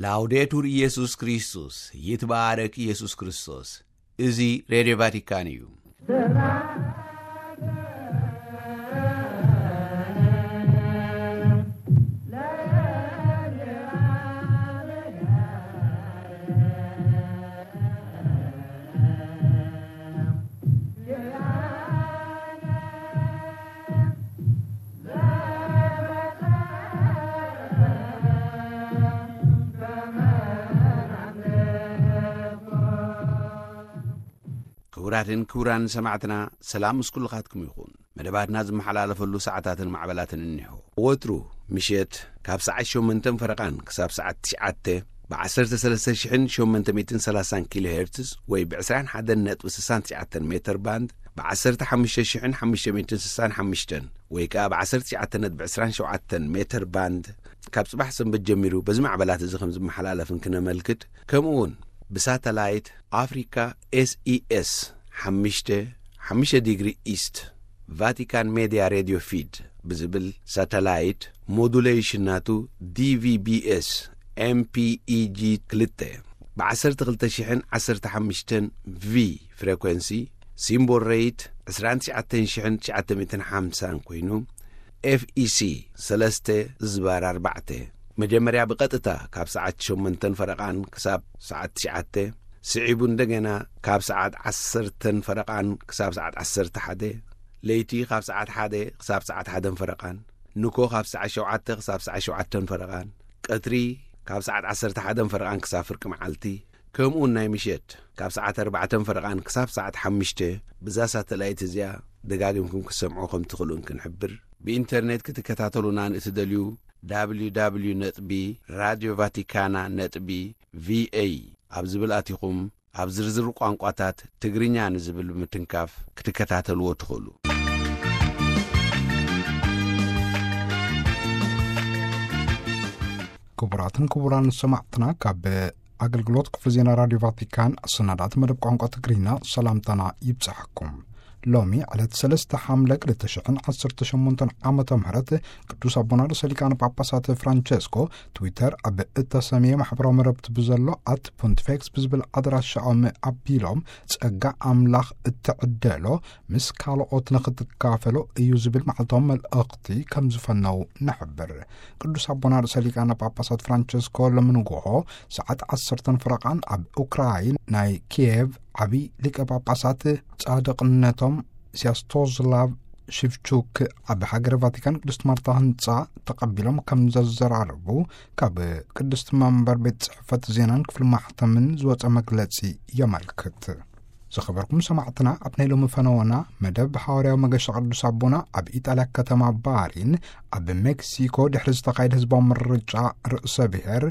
ላውዴቱር ኢየሱስ ክርስቶስ፣ ይትባረክ ኢየሱስ ክርስቶስ። እዚ ሬድዮ ቫቲካን እዩ። ክቡራትን ክቡራን ሰማዕትና፣ ሰላም ምስ ኩልኻትኩም ይኹን። መደባትና ዝመሓላለፈሉ ሰዓታትን ማዕበላትን እኒሆ። ወትሩ ምሸት ካብ ሰዓት ሸሞንተን ፈረቓን ክሳብ ሰዓት ትሽዓተ ብ ዓሰርተ ሰለስተ ሽሕን ሸሞንተ ሚእትን ሰላሳን ኪሎ ሄርትዝ ወይ ብ ዕስራን ሓደን ነጥቢ ስሳን ትሽዓተን ሜተር ባንድ፣ ብ ዓሰርተ ሓሙሽተ ሽሕን ሓሙሽተ ሚእትን ስሳን ሓሙሽተን ወይ ከኣ ብ ዓሰርተ ትሽዓተ ነጥቢ ዕስራን ሸውዓተን ሜተር ባንድ፣ ካብ ጽባሕ ሰንበት ጀሚሩ በዚ ማዕበላት እዚ ከም ዝመሓላለፍን ክነመልክት፣ ከምኡ እውን ብሳተላይት ኣፍሪካ ኤስኢኤስ ሓሙሽተ፣ ሓሙሽተ ዲግሪ ኢስት፣ ቫቲካን ሜድያ ሬድዮ ፊድ ብዝብል ሳተላይት፣ ሞዱሌሽን ናቱ ዲቪቢኤስ ኤምፒኢጂ ክልተ፣ ብ ዓሰርተ ክልተ ሽሕን ዓሰርተ ሓሙሽተን ቪ ፍሬኮንሲ፣ ሲምቦል ሬት ዕስራን ትሽዓተን ሽሕን ትሽዓተ ሚእትን ሓምሳን ኮይኑ፣ ኤፍኢሲ ሰለስተ ዝባር ኣርባዕተ፣ መጀመርያ ብቐጥታ ካብ ሰዓት ሸሞንተን ፈረቓን ክሳብ ሰዓት ትሽዓተ፣ ስዒቡ እንደገና ካብ ሰዓት ዓሰርተን ፈረቓን ክሳብ ሰዓት ዓሰርተ ሓደ፣ ለይቲ ካብ ሰዓት ሓደ ክሳብ ሰዓት ሓደን ፈረቓን፣ ንኮ ካብ ሰዓት ሸውዓተ ክሳብ ሰዓት ሸውዓተን ፈረቓን፣ ቀትሪ ካብ ሰዓት ዓሰርተ ሓደን ፈረቓን ክሳብ ፍርቂ መዓልቲ፣ ከምኡውን ናይ ምሸት ካብ ሰዓት ኣርባዕተን ፈረቓን ክሳብ ሰዓት ሓሙሽተ፣ ብዛ ሳተላይት እዚኣ ደጋጊምኩም ክትሰምዑ ከም ትኽእሉን ክንሕብር። ብኢንተርኔት ክትከታተሉና ንእትደልዩ፣ ደብሊው ደብሊው ደብሊው ነጥቢ ራድዮ ቫቲካና ነጥቢ ቪኤ ኣብ ዝብል ኣቲኹም፣ ኣብ ዝርዝር ቋንቋታት ትግርኛ ንዝብል ብምትንካፍ ክትከታተልዎ ትኽእሉ። ክቡራትን ክቡራን ሰማዕትና፣ ካብ ኣገልግሎት ክፍሊ ዜና ራድዮ ቫቲካን ሰናዳት መደብ ቋንቋ ትግርኛ ሰላምታና ይብጻሕኩም። ሎሚ ዕለት ሰለስተ ሓምለ ክልተ ሽሕን ዓሰርተ ሸሞንተን ዓመተ ምህረት ቅዱስ ኣቦና ርእሰ ሊቃነ ጳጳሳት ፍራንቸስኮ ትዊተር ኣብ እተሰምየ ማሕበራዊ መረብቲ ብዘሎ ኣት ፖንቲፌክስ ብዝብል ኣድራሻኦም ኣቢሎም፣ ጸጋ ኣምላኽ እትዕደሎ ምስ ካልኦት ንኽትካፈሎ እዩ ዝብል መዓልታዊ መልእኽቲ ከም ዝፈነው ንሕብር። ቅዱስ ኣቦና ርእሰ ሊቃነ ጳጳሳት ፍራንቸስኮ ሎሚ ንግሆ ሰዓት ዓሰርተን ፈረቓን ኣብ ኡክራይን ናይ ኪየቭ ዓቢ ሊቀ ጳጳሳት ጻድቕነቶም ሲያስቶስላቭ ሽቭቹክ ኣብ ሃገረ ቫቲካን ቅድስት ማርታ ህንጻ ተቐቢሎም ከም ዘዘራረቡ ካብ ቅድስት መንበር ቤት ጽሕፈት ዜናን ክፍሊ ማሕተምን ዝወጸ መግለጺ የመልክት። ዝኸበርኩም ሰማዕትና፣ ኣብ ናይ ሎሚ ፈነወና መደብ ሃዋርያዊ መገሻ ቅዱስ ኣቦና ኣብ ኢጣልያ ከተማ ባሪን ኣብ ሜክሲኮ ድሕሪ ዝተኻየደ ህዝባዊ ምርጫ ርእሰ ብሔር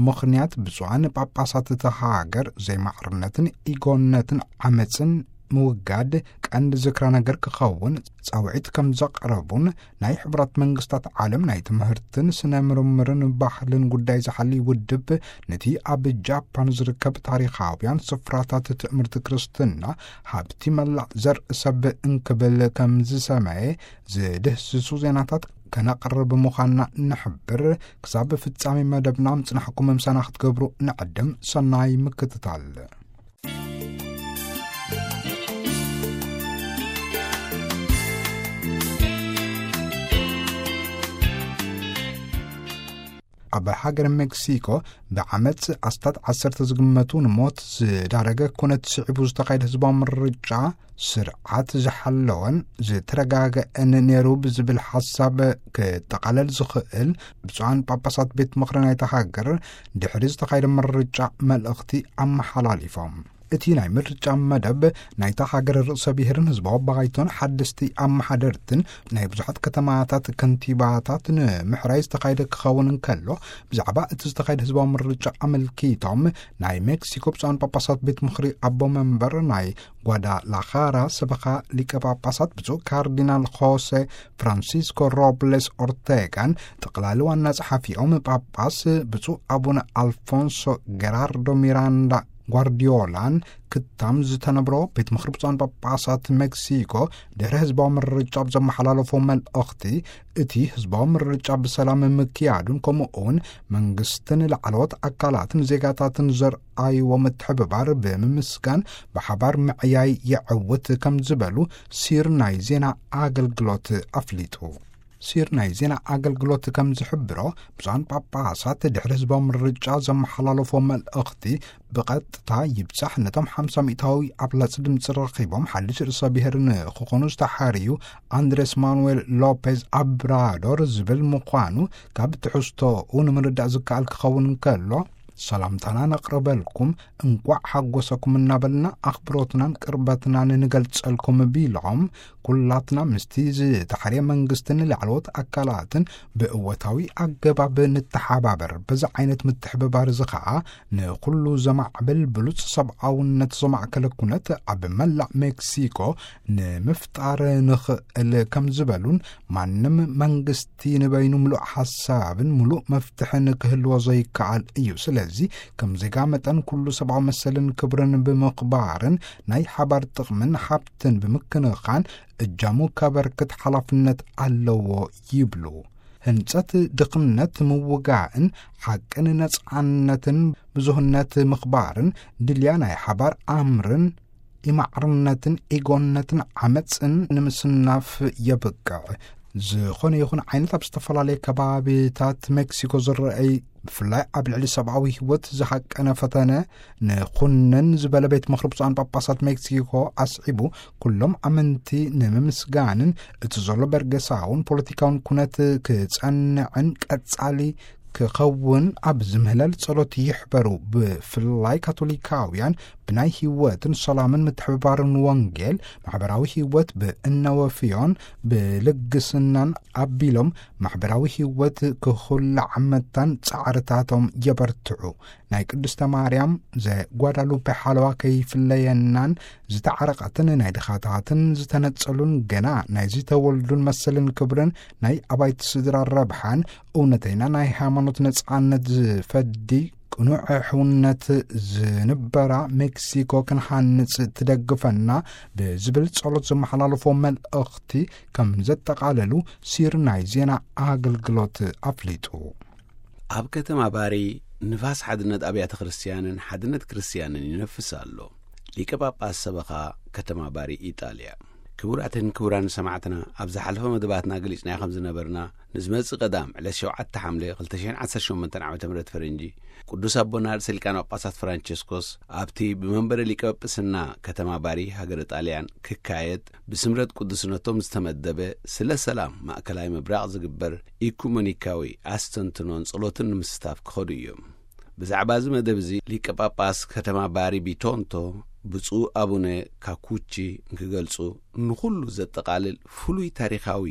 ምኽንያት ብፁዓን ጳጳሳት እታ ሃገር ዘይማዕርነትን ኢጎነትን ዓመፅን ምውጋድ ቀንዲ ዝክረ ነገር ክኸውን ጻውዒት ከም ዘቕረቡን ናይ ሕቡራት መንግስታት ዓለም ናይ ትምህርትን ስነ ምርምርን ባህልን ጉዳይ ዝሓሊ ውድብ ነቲ ኣብ ጃፓን ዝርከብ ታሪኻውያን ስፍራታት ትእምርቲ ክርስትና ሃብቲ መላእ ዘርኢ ሰብ እንክብል ከም ዝሰመየ ዝድህስሱ ዜናታት ከነቕርብ ምዃንና ንሕብር። ክሳብ ፍጻሜ መደብና ምጽናሕኩም ምሳና ክትገብሩ ንዕድም። ሰናይ ምክትታል። ኣብ ሃገር ሜክሲኮ ብዓመፅ ኣስታት ዓሰርተ ዝግመቱ ንሞት ዝዳረገ ኩነት ስዒቡ ዝተኻየደ ህዝባዊ ምርጫ ስርዓት ዝሓለወን ዝተረጋገአን ነይሩ ብዝብል ሓሳብ ክጠቓለል ዝኽእል ብፁዓን ጳጳሳት ቤት ምኽሪ ናይታ ሃገር ድሕሪ ዝተኻየደ ምርጫ መልእኽቲ ኣመሓላሊፎም። እቲ ናይ ምርጫ መደብ ናይታ ሃገር ርእሰ ብሔርን ህዝባዊ ባይቶን ሓደስቲ ኣመሓደርትን ናይ ብዙሓት ከተማታት ከንቲባታት ንምሕራይ ዝተኻየደ ክኸውን እንከሎ፣ ብዛዕባ እቲ ዝተኻየደ ህዝባዊ ምርጫ ኣመልኪቶም ናይ ሜክሲኮ ብፁዓን ጳጳሳት ቤት ምኽሪ ኣቦ መንበር ናይ ጓዳላኻራ ሰበኻ ሊቀ ጳጳሳት ብፁዕ ካርዲናል ሆሴ ፍራንሲስኮ ሮብሌስ ኦርቴጋን ጠቕላሊ ዋና ጸሓፊኦም ጳጳስ ብፁዕ ኣቡነ ኣልፎንሶ ጌራርዶ ሚራንዳ ጓርዲዮላን ክታም ዝተነብሮ ቤት ምኽሪ ብፁዓን ጳጳሳት ሜክሲኮ ድሕሪ ህዝባዊ ምርጫ ኣብ ዘመሓላለፎ መልእኽቲ፣ እቲ ህዝባዊ ምርጫ ብሰላም ምክያዱን ከምኡ እውን መንግስትን ላዕለዎት ኣካላትን ዜጋታትን ዘርኣይዎ ምትሕብባር ብምምስጋን ብሓባር ምዕያይ የዕውት ከም ዝበሉ ሲር ናይ ዜና ኣገልግሎት ኣፍሊጡ። ሲር ናይ ዜና ኣገልግሎት ከም ዝሕብሮ፣ ብፁዓን ጳጳሳት ድሕሪ ህዝባዊ ምርጫ ዘመሓላለፎ መልእኽቲ ብቐጥታ ይብጻሕ ነቶም ሓምሳ ሚእታዊ ኣብላጽ ድምፂ ረኺቦም ሓድሽ ርእሰ ብሔር ንክኾኑ ዝተሓርዩ ኣንድሬስ ማኑዌል ሎፔዝ ኣብራዶር ዝብል ምዃኑ ካብ ትሕዝቶኡ ንምርዳእ ዝከኣል ክኸውን እንከሎ፣ ሰላምታና ነቕርበልኩም፣ እንቋዕ ሓጎሰኩም እናበልና ኣኽብሮትናን ቅርበትናን ንገልጸልኩም ቢሎም፣ ኩላትና ምስቲ ዝተሓርየ መንግስትን ላዕለዎት ኣካላትን ብእወታዊ ኣገባብ ንተሓባበር። በዚ ዓይነት ምትሕብባር እዚ ኸዓ ንኹሉ ዘማዕብል ብሉጽ ሰብኣውነት ዘማእከለ ኩነት ኣብ መላእ ሜክሲኮ ንምፍጣር ንኽእል ከም ዝበሉን፣ ማንም መንግስቲ ንበይኑ ምሉእ ሓሳብን ምሉእ መፍትሕን ክህልዎ ዘይከኣል እዩ። ስለዚ ከም ዜጋ መጠን ኩሉ ሰብኣዊ መሰልን ክብርን ብምኽባርን ናይ ሓባር ጥቕምን ሃብትን ብምክንኻን እጃሙ ከበርክት ሓላፍነት ኣለዎ ይብሉ። ህንጸት ድኽነት ምውጋእን ሓቅን ነጻነትን ብዙህነት ምኽባርን ድልያ ናይ ሓባር ኣምርን ኢማዕርነትን ኢጎነትን ዓመፅን ንምስናፍ የብቅዕ። ዝኾነ ይኹን ዓይነት ኣብ ዝተፈላለየ ከባቢታት ሜክሲኮ ዝረአይ፣ ብፍላይ ኣብ ልዕሊ ሰብኣዊ ህይወት ዝሃቀነ ፈተነ ንኹንን ዝበለ ቤት ምኽሪ ብፁዓን ጳጳሳት ሜክሲኮ ኣስዒቡ፣ ኩሎም ኣመንቲ ንምምስጋንን እቲ ዘሎ በርገሳውን ፖለቲካውን ኩነት ክጸንዕን ቀጻሊ ክኸውን ኣብ ዝምህለል ጸሎት ይሕበሩ። ብፍላይ ካቶሊካውያን ብናይ ህይወትን ሰላምን ምትሕብባርን ወንጌል ማሕበራዊ ህይወት ብእነወፍዮን ብልግስናን ኣቢሎም ማሕበራዊ ህይወት ክኹላዕ መታን ጻዕርታቶም የበርትዑ። ናይ ቅድስተ ማርያም ዘጓዳሉፔ ሓለዋ ከይፍለየናን ዝተዓረቐትን ናይ ድኻታትን ዝተነጸሉን ገና ናይ ዝተወልዱን መሰልን ክብርን ናይ ኣባይቲ ስድራ ረብሓን እውነተይና ናይ ሃይማኖት ነጻነት ዝፈዲ ቅኑዕ ሕውነት ዝንበራ ሜክሲኮ ክንሃንጽ ትደግፈና ብዝብል ጸሎት ዘመሓላለፎ መልእኽቲ ከም ዘጠቓለሉ ሲር ናይ ዜና ኣገልግሎት ኣፍሊጡ። ኣብ ከተማ ባሪ ንፋስ ሓድነት ኣብያተ ክርስቲያንን ሓድነት ክርስቲያንን ይነፍስ ኣሎ። ሊቀ ጳጳስ ሰበኻ ከተማ ባሪ ኢጣልያ። ክቡራትን ክቡራን ሰማዕትና፣ ኣብ ዝሓለፈ መደባትና ገሊጽናዮ ከም ዝነበርና፣ ንዝመጽእ ቀዳም ዕለት ሸውዓተ ሓምለ ክልተ ሽሕን ዓሰርተ ሸሞንተን ዓመተ ምህረት ፈረንጂ፣ ቅዱስ ኣቦና ርእሰ ሊቃነ ጳጳሳት ፍራንቸስኮስ ኣብቲ ብመንበረ ሊቀ ጳጳስና ከተማ ባሪ ሃገረ ጣልያን ክካየድ ብስምረት ቅዱስነቶም ዝተመደበ ስለ ሰላም ማእከላይ ምብራቕ ዝግበር ኢኩመኒካዊ ኣስተንትኖን ጸሎትን ንምስታፍ ክኸዱ እዮም። ብዛዕባ እዚ መደብ እዚ ሊቀ ጳጳስ ከተማ ባሪ ቢቶንቶ ብፁዕ ኣቡነ ካኩቺ እንክገልጹ፣ ንኹሉ ዘጠቓልል ፍሉይ ታሪኻዊ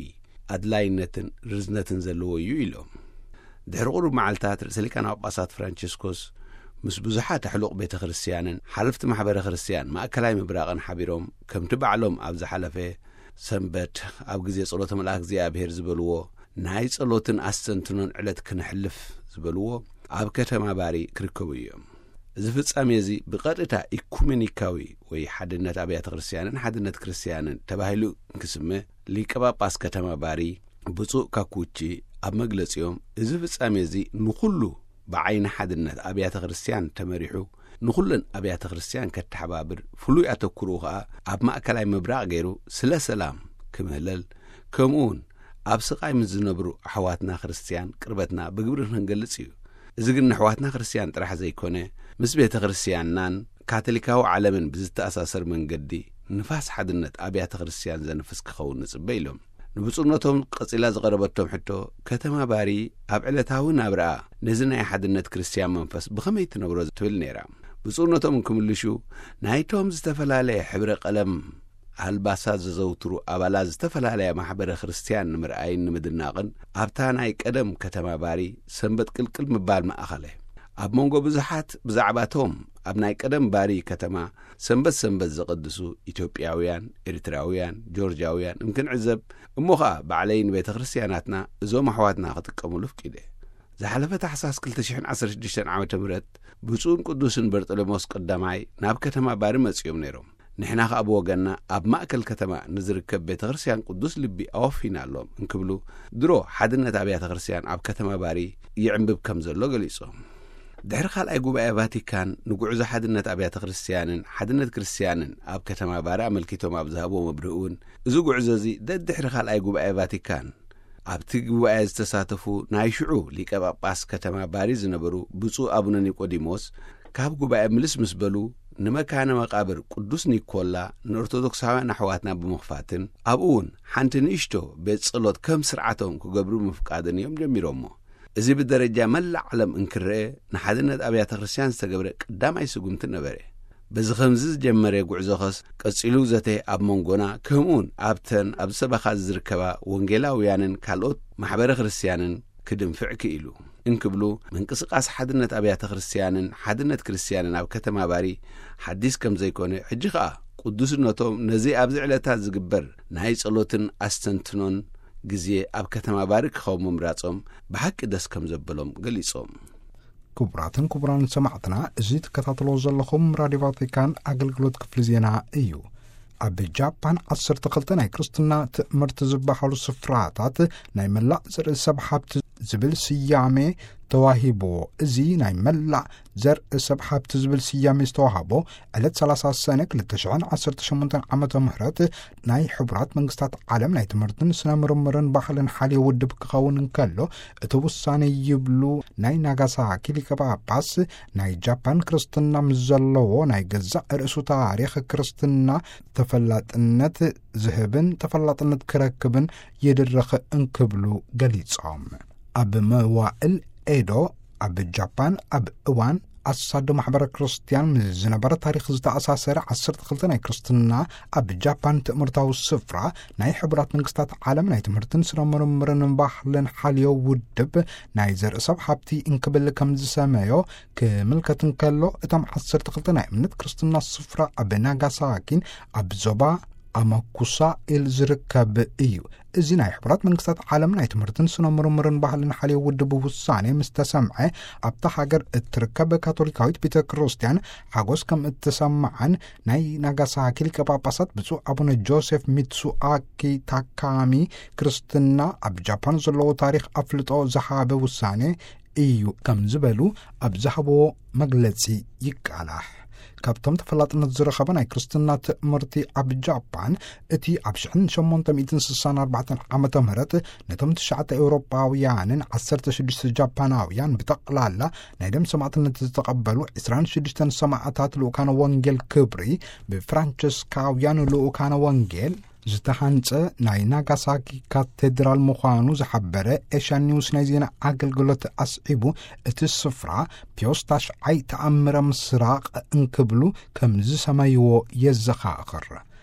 ኣድላይነትን ርዝነትን ዘለዎ እዩ ኢሎም። ድሕሪ ቁሩብ መዓልታት ርእሰ ሊቃነ ጳጳሳት ፍራንቸስኮስ ምስ ብዙሓት ኣሕሉቕ ቤተ ክርስቲያንን ሓለፍቲ ማሕበረ ክርስቲያን ማእከላይ ምብራቕን ሓቢሮም፣ ከምቲ ባዕሎም ኣብ ዝሓለፈ ሰንበት ኣብ ግዜ ጸሎተ መልኣክ እግዚኣብሔር ዝበልዎ፣ ናይ ጸሎትን ኣስተንትኖን ዕለት ክነሕልፍ ዝበልዎ፣ ኣብ ከተማ ባሪ ክርከቡ እዮም። እዚ ፍጻሜ እዚ ብቐጥታ ኢኩሜኒካዊ ወይ ሓድነት ኣብያተ ክርስቲያንን ሓድነት ክርስቲያንን ተባሂሉ እንክስመ፣ ሊቀ ጳጳስ ከተማ ባሪ ብፁዕ ካኩቺ ኣብ መግለጺኦም፣ እዚ ፍጻሜ እዚ ንኹሉ ብዓይኒ ሓድነት ኣብያተ ክርስቲያን ተመሪሑ፣ ንኹለን ኣብያተ ክርስቲያን ከተሓባብር፣ ፍሉይ ኣተኩሮኡ ኸኣ ኣብ ማእከላይ ምብራቕ ገይሩ ስለ ሰላም ክምህለል፣ ከምኡ እውን ኣብ ስቓይ ምስ ዝነብሩ ኣሕዋትና ክርስቲያን ቅርበትና ብግብሪ ክንገልጽ እዩ። እዚ ግን ንኣሕዋትና ክርስቲያን ጥራሕ ዘይኮነ፣ ምስ ቤተ ክርስቲያንናን ካቶሊካዊ ዓለምን ብዝተኣሳሰር መንገዲ ንፋስ ሓድነት ኣብያተ ክርስቲያን ዘንፍስ ክኸውን ንጽበ ኢሎም። ንብፁዕነቶም ቀጺላ ዝቐረበቶም ሕቶ፣ ከተማ ባሪ ኣብ ዕለታዊ ናብራኣ ነዚ ናይ ሓድነት ክርስቲያን መንፈስ ብኸመይ ትነብሮ ትብል ነይራ። ብፁዕነቶም እንክምልሹ፣ ናይቶም ዝተፈላለየ ሕብረ ቀለም ኣልባሳት ዘዘውትሩ ኣባላት ዝተፈላለያ ማሕበረ ክርስቲያን ንምርኣይን ንምድናቕን ኣብታ ናይ ቀደም ከተማ ባሪ ሰንበት ቅልቅል ምባል መኣኸለ። ኣብ መንጎ ብዙሓት ብዛዕባቶም ኣብ ናይ ቀደም ባሪ ከተማ ሰንበት ሰንበት ዘቐድሱ ኢትዮጵያውያን፣ ኤርትራውያን፣ ጆርጃውያን እንክንዕዘብ፣ እሞ ኸኣ ባዕለይ ንቤተ ክርስቲያናትና እዞም ኣሕዋትና ክጥቀሙሉ ፍቂደ። ዝሓለፈ ታሕሳስ ክልተ ሽሕን ዓሰርተ ሽዱሽተን ዓመተ ምህረት ብፁዕን ቅዱስን በርጠሎሜዎስ ቀዳማይ ናብ ከተማ ባሪ መጺኦም ነይሮም። ንሕና ከኣ ብወገንና ኣብ ማእከል ከተማ ንዝርከብ ቤተ ክርስቲያን ቅዱስ ልቢ ኣወፊናሎም እንክብሉ፣ ድሮ ሓድነት ኣብያተ ክርስቲያን ኣብ ከተማ ባሪ ይዕንብብ ከም ዘሎ ገሊጾም። ድሕሪ ካልኣይ ጉባኤ ቫቲካን ንጉዕዞ ሓድነት ኣብያተ ክርስቲያንን ሓድነት ክርስቲያንን ኣብ ከተማ ባሪ ኣመልኪቶም ኣብ ዝሃብዎ መብርሂ እውን፣ እዚ ጉዕዞ እዚ ደድሕሪ ካልኣይ ጉባኤ ቫቲካን ኣብቲ ጉባኤ ዝተሳተፉ ናይ ሽዑ ሊቀ ጳጳስ ከተማ ባሪ ዝነበሩ ብፁዕ ኣቡነ ኒቆዲሞስ፣ ካብ ጉባኤ ምልስ ምስ በሉ፣ ንመካነ መቓብር ቅዱስ ኒኮላ ንኦርቶዶክሳውያን ኣሕዋትና ብምኽፋትን ኣብኡ እውን ሓንቲ ንእሽቶ ቤት ጸሎት ከም ስርዓቶም ክገብሩ ምፍቃድን እዮም ጀሚሮሞ። እዚ ብደረጃ መላእ ዓለም እንክረአ ንሓድነት ኣብያተ ክርስቲያን ዝተገብረ ቀዳማይ ስጉምቲ ነበረ። በዚ ከምዚ ዝጀመረ ጉዕዞኸስ ቀጺሉ ዘተ ኣብ መንጎና፣ ከምኡውን ኣብተን ኣብ ሰበኻ ዝርከባ ወንጌላውያንን ካልኦት ማሕበረ ክርስቲያንን ክድንፍዕ ክኢሉ እንክብሉ፣ ምንቅስቃስ ሓድነት ኣብያተ ክርስቲያንን ሓድነት ክርስቲያንን ኣብ ከተማ ባሪ ሓዲስ ከም ዘይኮነ፣ ሕጂ ኸኣ ቅዱስነቶም ነዚ ኣብዚ ዕለታት ዝግበር ናይ ጸሎትን ኣስተንትኖን ግዜ ኣብ ከተማ ባሪ ክኸውን ምምራጾም ብሓቂ ደስ ከም ዘበሎም ገሊጾም። ክቡራትን ክቡራን ሰማዕትና፣ እዚ ትከታተልዎ ዘለኹም ራድዮ ቫቲካን ኣገልግሎት ክፍሊ ዜና እዩ። ኣብ ጃፓን ዓሰርተ ክልተ ናይ ክርስትና ትእምርቲ ዝበሃሉ ስፍራታት ናይ መላእ ዘርኢ ሰብ ሃብቲ ዝብል ስያሜ ተዋሂብዎ። እዚ ናይ መላእ ዘርኢ ሰብ ሃብቲ ዝብል ስያሜ ዝተዋህቦ ዕለት ሰላሳ ሰነ ክልተ ሽሕን ዓሰርተ ሸሞንተን ዓመተ ምህረት ናይ ሕቡራት መንግስታት ዓለም ናይ ትምህርትን ስነ ምርምርን ባህልን ሓልዮ ውድብ ክኸውን እንከሎ፣ እቲ ውሳኔ ይብሉ ናይ ናጋሳኪ ሊቀ ጳጳስ፣ ናይ ጃፓን ክርስትና ምስ ዘለዎ ናይ ገዛእ ርእሱ ታሪኽ ክርስትና ተፈላጥነት ዝህብን ተፈላጥነት ክረክብን ይድረኽ እንክብሉ ገሊጾም። ኣብ መዋእል ኤዶ ኣብ ጃፓን ኣብ እዋን ኣሳዶ ማሕበረ ክርስቲያን ምስ ዝነበረ ታሪኽ ዝተኣሳሰረ ዓሰርተ ክልተ ናይ ክርስትና ኣብ ጃፓን ትእምርታዊ ስፍራ ናይ ሕቡራት መንግስታት ዓለም ናይ ትምህርትን ስነ ምርምርን ባህልን ሓልዮ ውድብ ናይ ዘርኢ ሰብ ሃብቲ እንክብል ከም ዝሰመዮ ክምልከት እንከሎ፣ እቶም ዓሰርተ ክልተ ናይ እምነት ክርስትና ስፍራ ኣብ ናጋሳኪን ኣብ ዞባ ኣማኩሳ ኢል ዝርከብ እዩ። እዚ ናይ ሕቡራት መንግስታት ዓለም ናይ ትምህርትን ስነ ምርምርን ባህልን ሓልዮ ውድብ ውሳኔ ምስ ተሰምዐ፣ ኣብታ ሃገር እትርከብ ካቶሊካዊት ቤተ ክርስቲያን ሓጎስ ከም እተሰምዓን ናይ ናጋሳኪ ሊቀ ጳጳሳት ብፁዕ ኣቡነ ጆሴፍ ሚትሱኣኪ ታካሚ ክርስትና ኣብ ጃፓን ዘለዎ ታሪኽ ኣፍልጦ ዝሃበ ውሳኔ እዩ ከም ዝበሉ ኣብ ዝሃብዎ መግለጺ ይቃላሕ። ካብቶም ተፈላጥነት ዝረኸበ ናይ ክርስትና ትእምርቲ ኣብ ጃፓን፣ እቲ ኣብ ሽሕን ሸሞንተ ሚእትን ስሳን ኣርባዕተን ዓመተ ምህረት ነቶም ትሽዓተ ኤውሮጳውያንን ዓሰርተ ሽዱሽተ ጃፓናውያን ብጠቕላላ ናይ ደም ሰማዕትነት ዝተቐበሉ ዕስራን ሽዱሽተን ሰማዕታት ልኡካነ ወንጌል ክብሪ ብፍራንቸስካውያን ልኡካነ ወንጌል ዝተሃንጸ ናይ ናጋሳኪ ካቴድራል ምዃኑ ዝሓበረ ኤሽያን ኒውስ ናይ ዜና ኣገልግሎት ኣስዒቡ፣ እቲ ስፍራ ፒዮስ ታሽዓይ ተኣምረ ምስራቕ እንክብሉ ከም ዝሰመይዎ የዘኻኽር።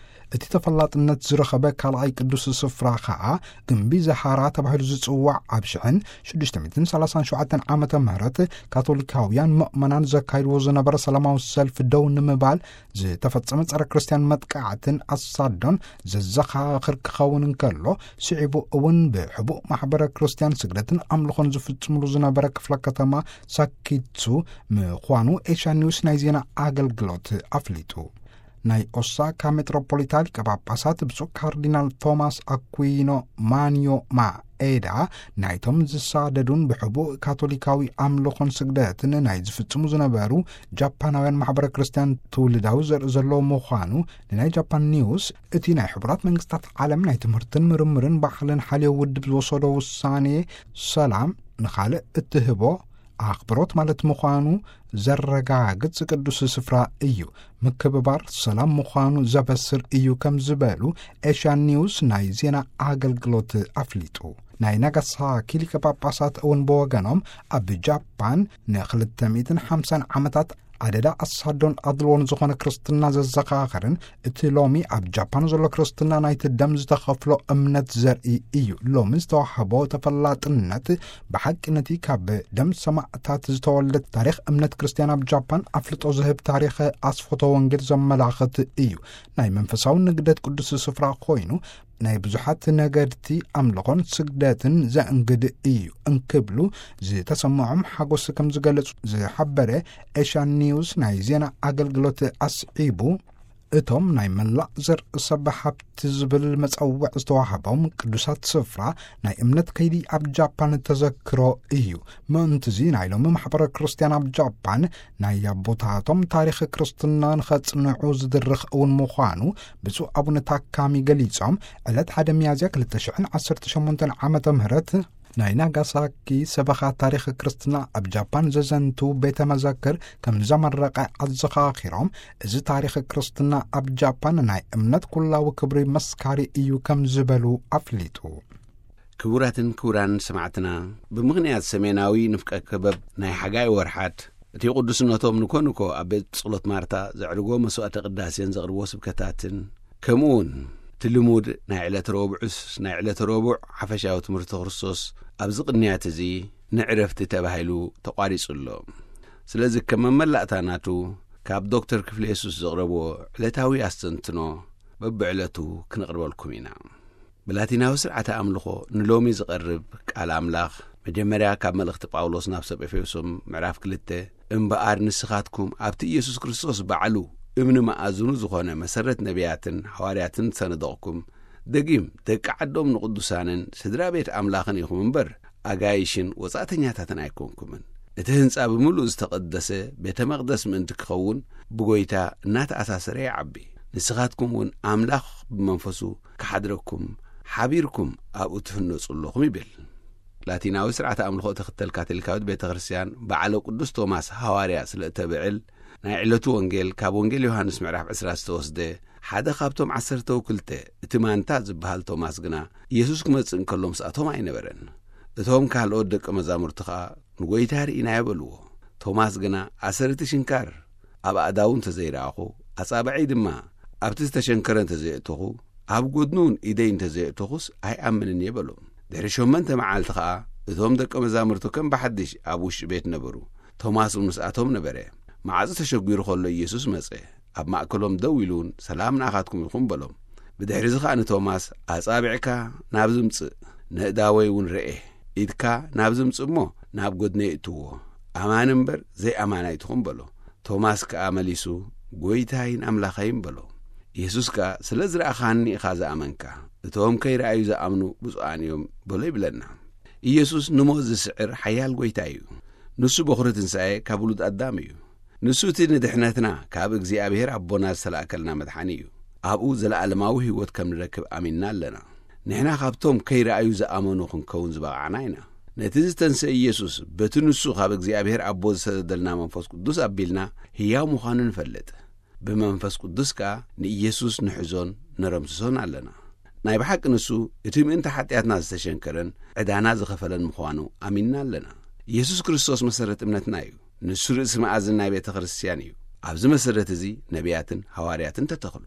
እቲ ተፈላጥነት ዝረኸበ ካልኣይ ቅዱስ ስፍራ ኸኣ ግምቢ ዛሃራ ተባሂሉ ዝጽዋዕ ኣብ ሽሕን ሽዱሽተ ሚእትን ሰላሳን ሸውዓተን ዓመተ ምህረት ካቶሊካውያን ምእመናን ዘካይድዎ ዝነበረ ሰላማዊ ሰልፊ ደው ንምባል ዝተፈጸመ ጸረ ክርስቲያን መጥቃዕትን ኣሳዶን ዘዘኻኽር ክኸውን እንከሎ፣ ስዒቡ እውን ብሕቡእ ማሕበረ ክርስቲያን ስግደትን ኣምልኾን ዝፍጽምሉ ዝነበረ ክፍለ ከተማ ሳኪትሱ ምዃኑ ኤሽያ ኒውስ ናይ ዜና ኣገልግሎት ኣፍሊጡ። ናይ ኦሳካ ሜትሮፖሊታ ሊቀ ጳጳሳት ብፁዕ ካርዲናል ቶማስ ኣኩይኖ ማንዮ ማኤዳ ናይቶም ዝሳደዱን ብሕቡእ ካቶሊካዊ ኣምልኾን ስግደትን ናይ ዝፍጽሙ ዝነበሩ ጃፓናውያን ማሕበረ ክርስቲያን ትውልዳዊ ዘርኢ ዘለዎ ምዃኑ ንናይ ጃፓን ኒውስ፣ እቲ ናይ ሕቡራት መንግስታት ዓለም ናይ ትምህርትን ምርምርን ባህልን ሓልዮ ውድብ ዝወሰዶ ውሳኔ ሰላም ንኻልእ እትህቦ ኣኽብሮት ማለት ምዃኑ ዘረጋግጽ ቅዱስ ስፍራ እዩ፣ ምክብባር ሰላም ምዃኑ ዘበስር እዩ ከም ዝበሉ ኤሽያን ኒውስ ናይ ዜና ኣገልግሎት ኣፍሊጡ። ናይ ናጋሳኪ ሊቀ ጳጳሳት እውን ብወገኖም ኣብ ጃፓን ንክልተ ሚእትን ሓምሳን ዓመታት ኣደዳ ኣሳዶን ኣድልዎን ዝኾነ ክርስትና ዘዘኻኽርን እቲ ሎሚ ኣብ ጃፓን ዘሎ ክርስትና ናይቲ ደም ዝተኸፍሎ እምነት ዘርኢ እዩ። ሎሚ ዝተዋህቦ ተፈላጥነት ብሓቂ ነቲ ካብ ደም ሰማዕታት ዝተወልደ ታሪኽ እምነት ክርስትያን ኣብ ጃፓን ኣፍልጦ ዝህብ ታሪኽ ኣስፎቶ ወንጌል ዘመላኽት እዩ። ናይ መንፈሳዊ ንግደት ቅዱስ ስፍራ ኮይኑ ናይ ብዙሓት ነገድቲ ኣምልኾን ስግደትን ዘእንግድ እዩ እንክብሉ ዝተሰምዖም ሓጎስ ከም ዝገለጹ ዝሓበረ ኤሽያን ኒውስ ናይ ዜና ኣገልግሎት ኣስዒቡ፣ እቶም ናይ መላእ ዘር ሰብ ሃብቲ ዝብል መጸውዕ ዝተዋህቦም ቅዱሳት ስፍራ ናይ እምነት ከይዲ ኣብ ጃፓን ተዘክሮ እዩ። ምእንትዚ ናይ ሎሚ ማሕበረ ክርስትያን ኣብ ጃፓን ናይ ኣቦታቶም ታሪኽ ክርስትና ንኸጽንዑ ዝድርኽ እውን ምዃኑ ብፁዕ ኣቡነ ታካሚ ገሊጾም፣ ዕለት ሓደ ሚያዝያ ክልተ ሽሕን ዓሰርተ ሸሞንተን ዓመተ ምህረት ናይ ናጋሳኪ ሰበኻ ታሪኽ ክርስትና ኣብ ጃፓን ዘዘንቱ ቤተ መዘክር ከም ዘመረቐ ኣዘኻኺሮም፣ እዚ ታሪኽ ክርስትና ኣብ ጃፓን ናይ እምነት ኩላዊ ክብሪ መስካሪ እዩ ከም ዝበሉ ኣፍሊጡ። ክቡራትን ክቡራን ሰማዕትና፣ ብምኽንያት ሰሜናዊ ንፍቀ ክበብ ናይ ሓጋይ ወርሓት፣ እቲ ቅዱስነቶም ንኮንኮ ኣብ ቤት ጸሎት ማርታ ዘዕርጎ መስዋዕተ ቅዳሴን ዘቕርቦ ስብከታትን፣ ከምኡ እውን እቲ ልሙድ ናይ ዕለተ ረቡዕስ ናይ ዕለተ ረቡዕ ሓፈሻዊ ትምህርቲ ክርስቶስ ኣብዚ ቅንያት እዚ ንዕረፍቲ ተባሂሉ ተቋሪጹ ኣሎ። ስለዚ ከም መመላእታ ናቱ ካብ ዶክተር ክፍለ የሱስ ዘቕረብዎ ዕለታዊ ኣስተንትኖ በብዕለቱ ክነቕርበልኩም ኢና። ብላቲናዊ ስርዓተ ኣምልኾ ንሎሚ ዝቐርብ ቃል ኣምላኽ መጀመርያ ካብ መልእኽቲ ጳውሎስ ናብ ሰብ ኤፌሶን ምዕራፍ ክልተ፣ "እምበኣር ንስኻትኩም ኣብቲ ኢየሱስ ክርስቶስ ባዕሉ እምኒ መኣዝኑ ዝኾነ መሰረት ነቢያትን ሃዋርያትን ዝሰነደቕኩም፣ ደጊም ደቂ ዓዶም ንቕዱሳንን ስድራ ቤት ኣምላኽን ኢኹም እምበር፣ ኣጋይሽን ወጻእተኛታትን ኣይኮንኩምን። እቲ ህንጻ ብምሉእ ዝተቐደሰ ቤተ መቕደስ ምእንቲ ክኸውን ብጎይታ እናተኣሳሰረ ይዓቢ። ንስኻትኩም እውን ኣምላኽ ብመንፈሱ ክሓድረኩም ሓቢርኩም ኣብኡ ትህነጹ ኣለኹም" ይብል። ላቲናዊ ስርዓተ ኣምልኾ እትኽተል ካቶሊካዊት ቤተ ክርስቲያን በዓለ ቅዱስ ቶማስ ሃዋርያ ስለ እተብዕል፣ ናይ ዕለቱ ወንጌል ካብ ወንጌል ዮሃንስ ምዕራፍ ዕስራ ዝተወስደ፣ ሓደ ካብቶም ዓሰርተው ክልተ፣ እቲ ማንታ ዝበሃል ቶማስ ግና፣ ኢየሱስ ክመጽእ እንከሎ ምስኣቶም ኣይነበረን። እቶም ካልኦት ደቀ መዛሙርቲ ኸኣ፣ "ንጎይታ ርኢናዮ" በልዎ። ቶማስ ግና፣ ኣሰር እቲ ሽንካር ኣብ ኣእዳዉ እንተ ዘይረኣኹ፣ ኣጻብዐይ ድማ ኣብቲ ዝተሸንከረ እንተ ዘየእተኹ፣ ኣብ ጐድኑ እውን ኢደይ እንተ ዘየእተኹስ ኣይኣምንን እየ በሎም። ድሕሪ ሸሞንተ መዓልቲ ኸኣ፣ እቶም ደቀ መዛሙርቱ ከም ብሓድሽ ኣብ ውሽጢ ቤት ነበሩ። ቶማስ እውን ምስኣቶም ነበረ። ማዕጾ ተሸጒሩ ኸሎ ኢየሱስ መጸ። ኣብ ማእከሎም ደው ኢሉ እውን፣ "ሰላም ንኣኻትኩም ይኹን" በሎም። ብድሕሪ እዚ ኸኣ ንቶማስ፣ "ኣጻብዕካ ናብዚ ምጽእ፣ ነእዳወይ እውን ርኤ። ኢድካ ናብዚ ምጽእ እሞ ናብ ጐድነይ እእትዎ። ኣማኒ እምበር ዘይኣማኒ ኣይትኹን" በሎ። ቶማስ ከኣ መሊሱ፣ "ጐይታይን ኣምላኸይን" በሎ። ኢየሱስ ከኣ፣ "ስለ ዝረኣኻኒ ኢኻ ዝኣመንካ፣ እቶም ከይረኣዩ ዝኣምኑ ብፁዓን እዮም" በሎ ይብለና። ኢየሱስ ንሞት ዝስዕር ሓያል ጐይታ እዩ። ንሱ በኹሪ ትንሳኤ ካብ ውሉድ ኣዳም እዩ። ንሱ እቲ ንድሕነትና ካብ እግዚኣብሔር ኣቦና ዝተላእከልና መድሓኒ እዩ። ኣብኡ ዘለኣለማዊ ህይወት ከም ንረክብ ኣሚንና ኣለና። ንሕና ካብቶም ከይረኣዩ ዝኣመኑ ክንከውን ዝበቓዕና ኢና። ነቲ ዝተንስአ ኢየሱስ በቲ ንሱ ካብ እግዚኣብሔር ኣቦ ዝሰደደልና መንፈስ ቅዱስ ኣቢልና ህያው ምዃኑ ንፈልጥ። ብመንፈስ ቅዱስ ከኣ ንኢየሱስ ንሕዞን ነረምስሶን ኣለና። ናይ ብሓቂ ንሱ እቲ ምእንቲ ሓጢኣትና ዝተሸንከረን ዕዳና ዝኸፈለን ምዃኑ ኣሚንና ኣለና። ኢየሱስ ክርስቶስ መሰረት እምነትና እዩ። ንሱ ርእሲ መኣዝን ናይ ቤተ ክርስቲያን እዩ። ኣብዚ መሰረት እዚ ነቢያትን ሃዋርያትን ተተኽሉ።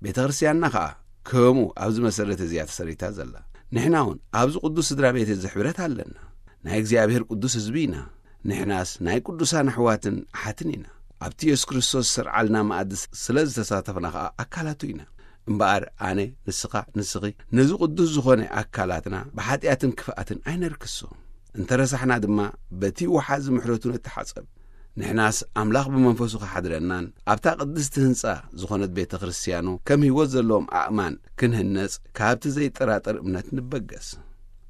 ቤተ ክርስቲያንና ኸኣ ከምኡ ኣብዚ መሰረት እዚ እያ ተሰሪታ ዘላ። ንሕና እውን ኣብዚ ቅዱስ ስድራ ቤት እዚ ሕብረት ኣለና። ናይ እግዚኣብሔር ቅዱስ ህዝቢ ኢና። ንሕናስ ናይ ቅዱሳን ኣሕዋትን ኣሓትን ኢና። ኣብቲ የሱስ ክርስቶስ ዝሰርዓልና መኣዲ ስለ ዝተሳተፍና ኸኣ ኣካላቱ ኢና። እምበኣር ኣነ፣ ንስኻ፣ ንስኺ ነዚ ቅዱስ ዝኾነ ኣካላትና ብሓጢኣትን ክፍኣትን ኣይነርክሶ። እንተ ረሳሕና ድማ በቲ ወሓዚ ምሕረቱ ንተሓጸብ። ንሕናስ ኣምላኽ ብመንፈሱ ክሓድረናን ኣብታ ቅድስቲ ህንጻ ዝኾነት ቤተ ክርስቲያኑ ከም ህይወት ዘለዎም ኣእማን ክንህነጽ ካብቲ ዘይጠራጠር እምነት ንበገስ።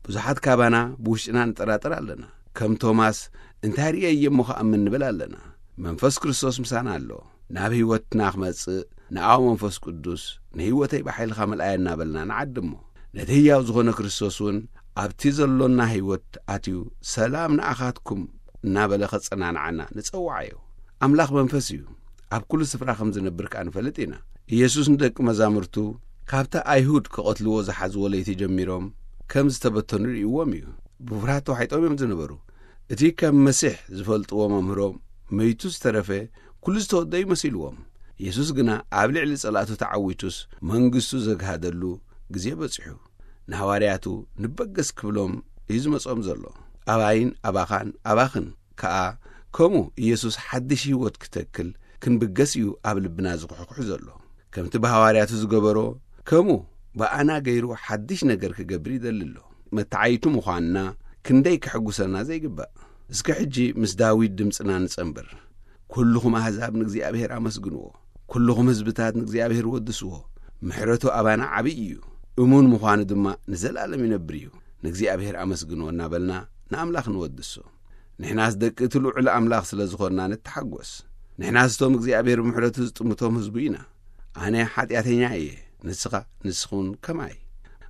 ብዙሓት ካባና ብውሽጥና ንጠራጠር ኣለና። ከም ቶማስ፣ "እንታይ ርእየ እየ እሞ ክኣምን?" ንብል ኣለና። መንፈስ ክርስቶስ ምሳና ኣሎ። ናብ ህይወትና ክመጽእ ንኣብ መንፈስ ቅዱስ፣ "ንህይወተይ ብሓይልኻ መልኣያ" እናበልና ንዓድሞ። ነቲ ህያው ዝኾነ ክርስቶስ እውን ኣብቲ ዘሎና ህይወት ኣትዩ፣ "ሰላም ንኣኻትኩም" እናበለ ኸጸናንዓና ንጸውዓዮ። ኣምላኽ መንፈስ እዩ። ኣብ ኩሉ ስፍራ ከም ዝነብር ከኣ ንፈልጥ ኢና። ኢየሱስ ንደቂ መዛሙርቱ፣ ካብቲ ኣይሁድ ክቐትልዎ ዝሓዝዎ ለይቲ ጀሚሮም ከም ዝተበተኑ ርእይዎም እዩ። ብፍርሃት ተዋሒጦም እዮም ዝነበሩ። እቲ ከም መሲሕ ዝፈልጥዎ መምህሮም መይቱ ዝተረፈ ኩሉ ዝተወደዩ መሲልዎም። ኢየሱስ ግና ኣብ ልዕሊ ጸላእቱ ተዓዊቱስ መንግስቱ ዘግሃደሉ ግዜ በጺሑ። ንሃዋርያቱ ንበገስ ክብሎም እዩ ዝመጾም ዘሎ። ኣባይን ኣባኻን ኣባኽን ከኣ ከምኡ ኢየሱስ ሓድሽ ህይወት ክተክል ክንብገስ እዩ ኣብ ልብና ዝኹሕኩሕ ዘሎ። ከምቲ ብሃዋርያቱ ዝገበሮ፣ ከምኡ ብኣና ገይሩ ሓድሽ ነገር ክገብር ይደሊ ኣሎ። መተዓይቱ ምዃንና ክንደይ ከሐጉሰና ዘይግባእ። እስከ ሕጂ ምስ ዳዊት ድምፅና ንጸንብር። ኩልኹም ኣህዛብ ንእግዚኣብሔር ኣመስግንዎ። ኩልኹም ህዝብታት ንእግዚኣብሔር ወድስዎ። ምሕረቱ ኣባና ዓብዪ እዩ። እሙን ምዃኑ ድማ ንዘላለም ይነብር እዩ። ንእግዚኣብሔር ኣመስግንዎ እናበልና ንኣምላኽ ንወድሶ። ንሕናስ ደቂ እቲ ልዑል ኣምላኽ ስለ ዝኾንና ንተሓጎስ። ንሕናስ እቶም እግዚኣብሔር ብምሕረቱ ዝጥምቶም ህዝቡ ኢና። ኣነ ሓጢኣተኛ እየ፣ ንስኻ፣ ንስኹን ከማይ።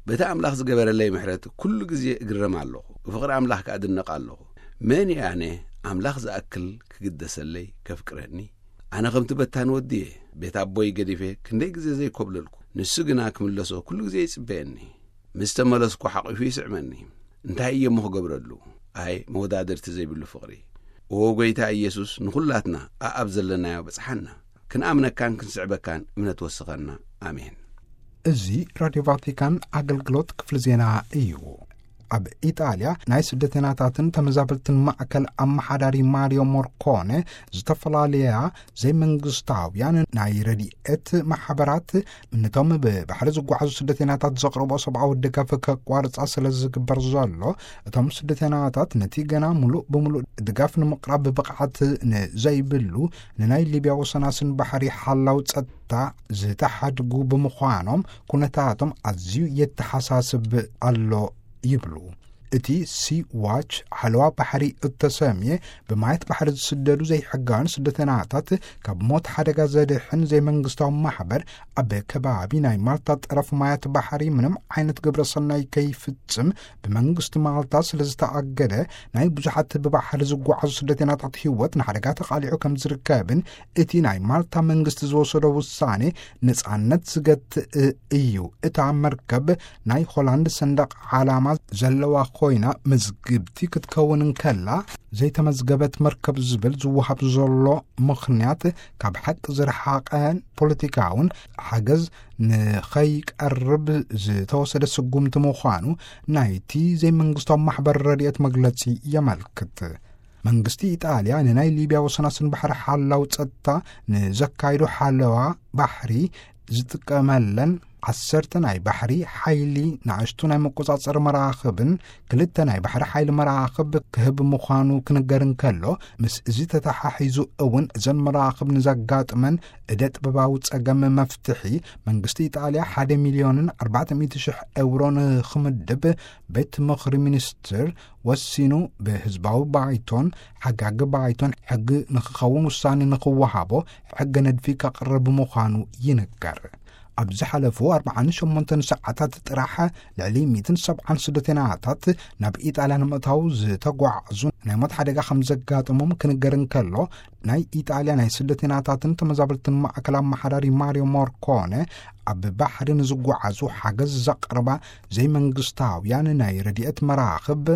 በቲ ኣምላኽ ዝገበረለይ ምሕረት ኩሉ ግዜ እግረም ኣለኹ፣ ብፍቕሪ ኣምላኽ ከኣ እድነቕ ኣለኹ። መን እየ ኣነ ኣምላኽ ዝኣክል ክግደሰለይ ከፍቅረኒ? ኣነ ከምቲ በታን ወዲ እየ፣ ቤት ኣቦይ ገዲፈ ክንደይ ግዜ ዘይኮብለልኩ። ንሱ ግና ክምለሶ ኩሉ ግዜ ይጽበየኒ። ምስ ተመለስኩ ሓቒፉ ይስዕመኒ። እንታይ እየ እሞ ክገብረሉ? ኣይ መወዳድርቲ ዘይብሉ ፍቕሪ። እዎ ጐይታ ኢየሱስ ንኹላትና ኣኣብ ዘለናዮ በጽሓና። ክንኣምነካን ክንስዕበካን እምነት ወስኸና። ኣሜን። እዚ ራድዮ ቫቲካን ኣገልግሎት ክፍሊ ዜና እዩ። ኣብ ኢጣልያ ናይ ስደተኛታትን ተመዛበልትን ማእከል ኣመሓዳሪ ማሪዮ ሞርኮነ ዝተፈላለያ ዘይመንግስታውያን ናይ ረድኤት ማሕበራት ነቶም ብባሕሪ ዝጓዓዙ ስደተኛታት ዘቕርቦ ሰብኣዊ ድጋፍ ከቋርጻ ስለ ዝግበር ዘሎ፣ እቶም ስደተኛታት ነቲ ገና ሙሉእ ብምሉእ ድጋፍ ንምቕራብ ብቕዓት ንዘይብሉ ንናይ ሊብያ ወሰናስን ባሕሪ ሓላው ጸጥታ ዝተሓድጉ ብምዃኖም ኩነታቶም ኣዝዩ የተሓሳስብ ኣሎ ይብሉ። እቲ ሲ ዋች ሓለዋ ባሕሪ እተሰምየ ብማየት ባሕሪ ዝስደዱ ዘይሕጋውያን ስደተኛታት ካብ ሞት ሓደጋ ዘድሕን ዘይመንግስታዊ ማሕበር፣ ኣብ ከባቢ ናይ ማልታ ጠረፍ ማያት ባሕሪ ምንም ዓይነት ግብረ ሰናይ ከይፍጽም ብመንግስቲ ማልታ ስለ ዝተኣገደ፣ ናይ ብዙሓት ብባሕሪ ዝጓዓዙ ስደተኛታት ህይወት ንሓደጋ ተቓሊዑ ከም ዝርከብን እቲ ናይ ማልታ መንግስቲ ዝወሰዶ ውሳኔ ነጻነት ዝገትእ እዩ። እታ መርከብ ናይ ሆላንድ ሰንደቕ ዓላማ ዘለዋ ኮይና፣ መዝግብቲ ክትከውን እንከላ፣ ዘይተመዝገበት መርከብ ዝብል ዝወሃብ ዘሎ ምኽንያት ካብ ሓቂ ዝረሓቐን ፖለቲካውን ሓገዝ ንኸይቀርብ ዝተወሰደ ስጉምቲ ምዃኑ ናይቲ ዘይመንግስታዊ ማሕበር ረድኤት መግለጺ የመልክት። መንግስቲ ኢጣልያ ንናይ ሊብያ ወሰናስን ባሕሪ ሓላው ጸጥታ ንዘካይዶ ሓለዋ ባሕሪ ዝጥቀመለን ዓሰርተ ናይ ባሕሪ ሓይሊ ንኣሽቱ ናይ መቆጻጸሪ መራኽብን ክልተ ናይ ባሕሪ ሓይሊ መራኽብ ክህብ ምዃኑ ክንገር እንከሎ፣ ምስ እዚ ተተሓሒዙ እውን እዘን መራኽብ ንዘጋጥመን እደ ጥበባዊ ጸገም መፍትሒ መንግስቲ ኢጣልያ ሓደ ሚልዮንን ኣርባዕተ ሚእቲ ሽሕ ኤውሮ ንኽምድብ ቤት ምኽሪ ሚኒስትር ወሲኑ፣ ብህዝባዊ ባይቶን ሓጋጊ ባይቶን ሕጊ ንኽኸውን ውሳኔ ንኽወሃቦ ሕገ ነድፊ ከቕርብ ምዃኑ ይንገር። ኣብ ዝሓለፉ ኣርባዓን ሸሞንተን ሰዓታት ጥራሕ ልዕሊ ሚእትን ሰብዓን ስደተኛታት ናብ ኢጣልያ ንምእታው ዝተጓዕዙ ናይ ሞት ሓደጋ ከም ዘጋጠሞም ክንገር እንከሎ፣ ናይ ኢጣልያ ናይ ስደተኛታትን ተመዛበልትን ማእከል ኣመሓዳሪ ማሪዮ ሞርኮነ፣ ኣብ ባሕሪ ንዝጓዓዙ ሓገዝ ዘቕርባ ዘይመንግስታውያን ናይ ረድኤት መራኽብ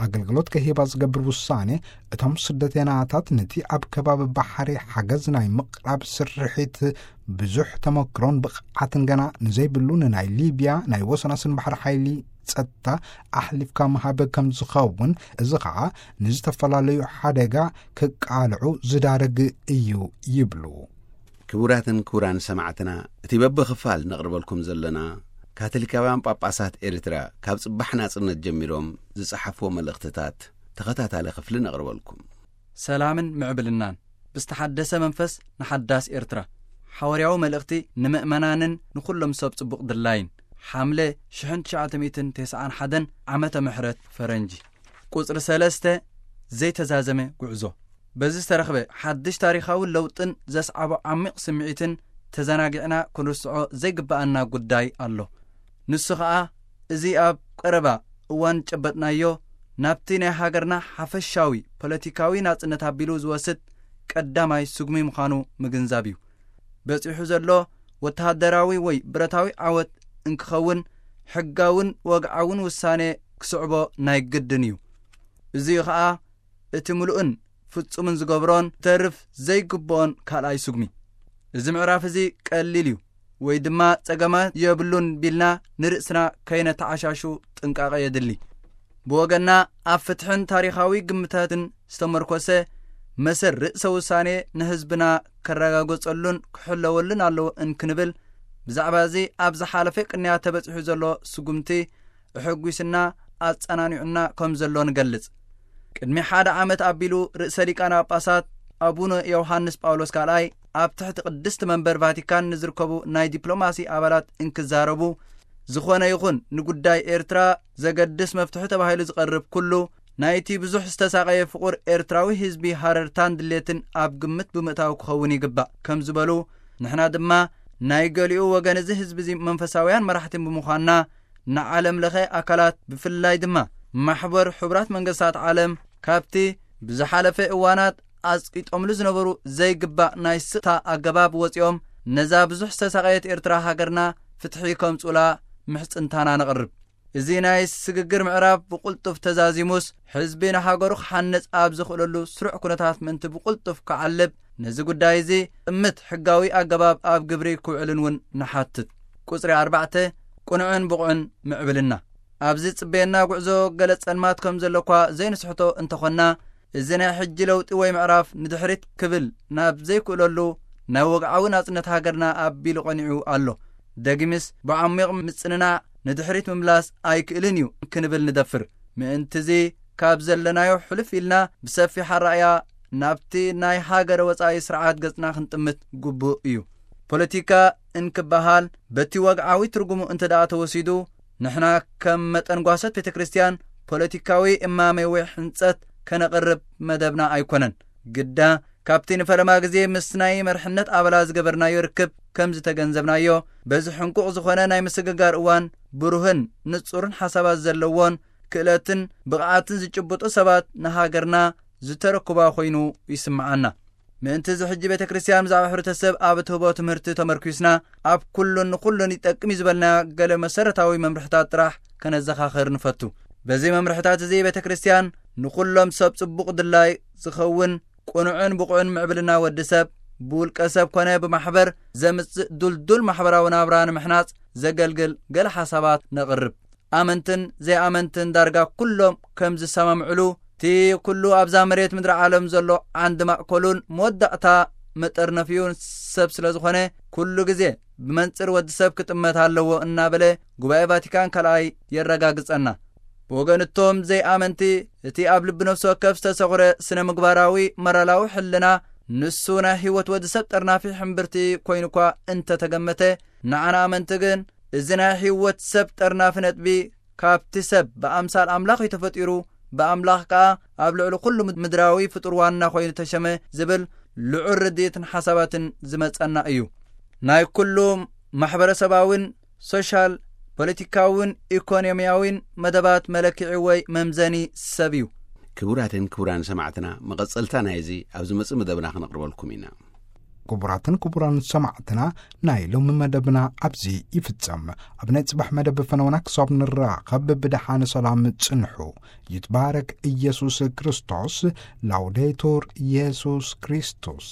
ኣገልግሎት ከሂባ ዝገብር ውሳኔ፣ እቶም ስደተኛታት ነቲ ኣብ ከባቢ ባሕሪ ሓገዝ ናይ ምቕራብ ስርሒት ብዙሕ ተመክሮን ብቕዓትን ገና ንዘይብሉ ንናይ ሊብያ ናይ ወሰናስን ባሕሪ ሓይሊ ጸጥታ ኣሕሊፍካ ምሃብ ከም ዝኸውን፣ እዚ ኸኣ ንዝተፈላለዩ ሓደጋ ክቃልዑ ዝዳርግ እዩ ይብሉ። ክቡራትን ክቡራን ሰማዕትና፣ እቲ በብኽፋል ነቕርበልኩም ዘለና ካቶሊካውያን ጳጳሳት ኤርትራ ካብ ጽባሕ ናጽነት ጀሚሮም ዝጸሓፍዎ መልእኽትታት ተኸታታሊ ክፍሊ ነቕርበልኩም። ሰላምን ምዕብልናን ብዝተሓደሰ መንፈስ ንሓዳስ ኤርትራ። ሓዋርያዊ መልእኽቲ ንምእመናንን ንኹሎም ሰብ ጽቡቕ ድላይን። ሓምለ ሽሕን ትሽዓተ ሚእትን ተስዓን ሓደን ዓመተ ምሕረት ፈረንጂ። ቁጽሪ ሰለስተ፣ ዘይተዛዘመ ጉዕዞ። በዚ ዝተረኽበ ሓድሽ ታሪኻዊ ለውጥን ዘስዓቦ ዓሚቕ ስምዒትን ተዘናጊዕና ክንርስዖ ዘይግብኣና ጉዳይ ኣሎ። ንሱ ኸኣ፣ እዚ ኣብ ቀረባ እዋን ጨበጥናዮ፣ ናብቲ ናይ ሃገርና ሓፈሻዊ ፖለቲካዊ ናጽነት ኣቢሉ ዝወስድ ቀዳማይ ስጉሚ ምዃኑ ምግንዛብ እዩ። በጺሑ ዘሎ ወተሃደራዊ ወይ ብረታዊ ዓወት እንክኸውን፣ ሕጋውን ወግዓውን ውሳኔ ክስዕቦ ናይ ግድን እዩ። እዚ ኸኣ እቲ ምሉእን ፍጹምን ዝገብሮን ተርፍ ዘይግብኦን ካልኣይ ስጉሚ። እዚ ምዕራፍ እዚ ቀሊል እዩ ወይ ድማ ጸገማት የብሉን ቢልና ንርእስና ከይነተዓሻሹ ጥንቃቐ የድሊ። ብወገንና ኣብ ፍትሕን ታሪኻዊ ግምታትን ዝተመርኮሰ መሰል ርእሰ ውሳኔ ንህዝብና ከረጋገጸሉን ክሕለወሉን ኣለዎ እንክንብል ብዛዕባ እዚ ኣብ ዝሓለፈ ቅንያት ተበጺሑ ዘሎ ስጉምቲ እሕጒስና ኣጸናኒዑና ከም ዘሎ ንገልጽ። ቅድሚ ሓደ ዓመት ኣቢሉ ርእሰ ሊቃነ ጳጳሳት ኣቡነ ዮሃንስ ጳውሎስ ካልኣይ ኣብ ትሕቲ ቅድስቲ መንበር ቫቲካን ንዝርከቡ ናይ ዲፕሎማሲ ኣባላት እንክዛረቡ፣ ዝኾነ ይኹን ንጉዳይ ኤርትራ ዘገድስ መፍትሒ ተባሂሉ ዝቐርብ ኩሉ ናይቲ ብዙሕ ዝተሳቐየ ፍቑር ኤርትራዊ ህዝቢ ሃረርታን ድሌትን ኣብ ግምት ብምእታው ክኸውን ይግባእ ከም ዝበሉ፣ ንሕና ድማ ናይ ገሊኡ ወገን እዚ ህዝቢ እዚ መንፈሳውያን መራሕትን ብምዃንና፣ ንዓለም ለኸ ኣካላት ብፍላይ ድማ ማሕበር ሕቡራት መንግስታት ዓለም ካብቲ ብዝሓለፈ እዋናት ኣጽቂጦምሉ ዝነበሩ ዘይግባእ ናይ ስቕታ ኣገባብ ወጺኦም ነዛ ብዙሕ ዝተሳቐየት ኤርትራ ሃገርና ፍትሒ ከምጽኡላ ምሕጽንታና ነቕርብ። እዚ ናይ ስግግር ምዕራፍ ብቕልጡፍ ተዛዚሙስ፣ ህዝቢ ንሃገሩ ክሓንጽ ኣብ ዝኽእለሉ ስሩዕ ኩነታት ምእንቲ ብቕልጡፍ ክዓልብ፣ ነዚ ጉዳይ እዚ ጥምት ሕጋዊ ኣገባብ ኣብ ግብሪ ክውዕልን እውን ንሓትት። ቁጽሪ ኣርባዕተ፣ ቅኑዕን ብቑዕን ምዕብልና። ኣብዚ ጽበየና ጉዕዞ ገለ ጸልማት ከም ዘሎ እኳ ዘይንስሕቶ እንተኾንና፣ እዚ ናይ ሕጂ ለውጢ ወይ ምዕራፍ ንድሕሪት ክብል ናብ ዘይክእለሉ ናይ ወግዓዊ ናጽነት ሃገርና ኣቢሉ ቀኒዑ ኣሎ። ደጊምስ ብዓሚቕ ምጽንናዕ ንድሕሪት ምምላስ ኣይክእልን እዩ ክንብል ንደፍር። ምእንትዚ ካብ ዘለናዮ ሕልፍ ኢልና ብሰፊሕ ኣረኣእያ ናብቲ ናይ ሃገረ ወጻኢ ስርዓት ገጽና ክንጥምት ግቡእ እዩ። ፖለቲካ እንክበሃል በቲ ወግዓዊ ትርጉሙ እንተ ደኣ ተወሲዱ፣ ንሕና ከም መጠን ጓሶት ቤተ ክርስቲያን ፖለቲካዊ እማመ ወይ ሕንጸት ከነቕርብ መደብና ኣይኮነን። ግዳ ካብቲ ንፈለማ ግዜ ምስ ናይ መርሕነት ኣባላት ዝገበርናዮ ርክብ ከም ዝተገንዘብናዮ፣ በዚ ሕንቁቕ ዝኾነ ናይ ምስግጋር እዋን ብሩህን ንጹርን ሓሳባት ዘለዎን ክእለትን ብቕዓትን ዝጭብጡ ሰባት ንሃገርና ዝተረክባ ኮይኑ ይስምዓና። ምእንቲ እዚ ሕጂ ቤተ ክርስቲያን ብዛዕባ ሕብረተሰብ ኣብ እትህቦ ትምህርቲ ተመርኲስና፣ ኣብ ኩሉን ንኹሉን ይጠቅም እዩ ዝበልና ገለ መሰረታዊ መምርሕታት ጥራሕ ከነዘኻኽር ንፈቱ። በዚ መምርሕታት እዚ ቤተ ክርስቲያን ንኹሎም ሰብ ጽቡቕ ድላይ ዝኸውን ቅኑዕን ብቑዕን ምዕብልና ወዲ ሰብ፣ ብውልቀ ሰብ ኮነ ብማሕበር ዘምጽእ ዱልዱል ማሕበራዊ ናብራ ንምሕናጽ ዘገልግል ገለ ሓሳባት ነቕርብ። ኣመንትን ዘይኣመንትን ዳርጋ ኩሎም ከም ዝሰማምዕሉ፣ እቲ ኩሉ ኣብዛ መሬት ምድሪ ዓለም ዘሎ ዓንዲ ማእከሉን መወዳእታ መጠርነፊኡን ሰብ ስለ ዝኾነ፣ ኩሉ ግዜ ብመንጽር ወዲ ሰብ ክጥመት ኣለዎ እናበለ ጉባኤ ቫቲካን ካልኣይ የረጋግጸና። ብወገን እቶም ዘይኣመንቲ፣ እቲ ኣብ ልቢ ነፍሲ ወከፍ ዝተሰኹረ ስነ ምግባራዊ መራላዊ ሕልና፣ ንሱ ናይ ህይወት ወዲ ሰብ ጠርናፊ ሕምብርቲ ኮይኑ እኳ እንተተገመተ፣ ንዓና ኣመንቲ ግን እዚ ናይ ህይወት ሰብ ጠርናፊ ነጥቢ ካብቲ ሰብ ብኣምሳል ኣምላኽ እዩ ተፈጢሩ፣ ብኣምላኽ ከኣ ኣብ ልዕሊ ኩሉ ምድራዊ ፍጡር ዋና ኮይኑ ተሸመ ዝብል ልዑል ርድኢትን ሓሳባትን ዝመጸና እዩ። ናይ ኩሉ ማሕበረሰባውን ሶሻል፣ ፖለቲካውን ኢኮኖሚያውን መደባት መለክዒ ወይ መምዘኒ ሰብ እዩ። ክቡራትን ክቡራን ሰማዕትና፣ መቐጸልታ ናይዚ ኣብ ዝመጽእ መደብና ክነቕርበልኩም ኢና። ክቡራትን ክቡራን ሰማዕትና፣ ናይ ሎሚ መደብና ኣብዚ ይፍጸም። ኣብ ናይ ጽባሕ መደብ ፈነወና ክሳብ ንራኸብ ብደሓን ሰላም ጽንሑ። ይትባረክ ኢየሱስ ክርስቶስ። ላውዴቱር ኢየሱስ ክርስቶስ።